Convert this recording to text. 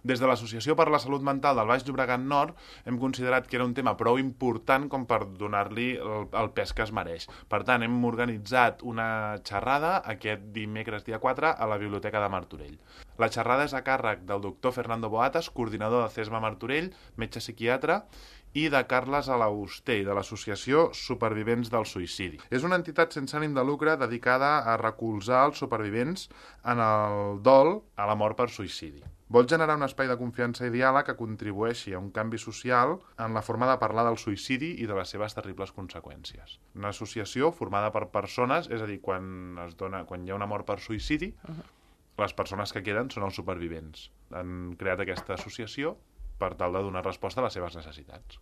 Des de l'Associació per la Salut Mental del Baix Llobregat Nord hem considerat que era un tema prou important com per donar-li el pes que es mereix. Per tant, hem organitzat una xerrada aquest dimecres dia 4 a la Biblioteca de Martorell. La xerrada és a càrrec del doctor Fernando Boatas, coordinador de CESMA Martorell, metge psiquiatre, i de Carles Alaustey, de l'Associació Supervivents del Suïcidi. És una entitat sense ànim de lucre dedicada a recolzar els supervivents en el dol a la mort per suïcidi. Vol generar un espai de confiança i diàleg que contribueixi a un canvi social en la forma de parlar del suïcidi i de les seves terribles conseqüències. Una associació formada per persones, és a dir, quan hi ha una mort per suïcidi, les persones que queden són els supervivents. Han creat aquesta associació per tal de donar resposta a les seves necessitats.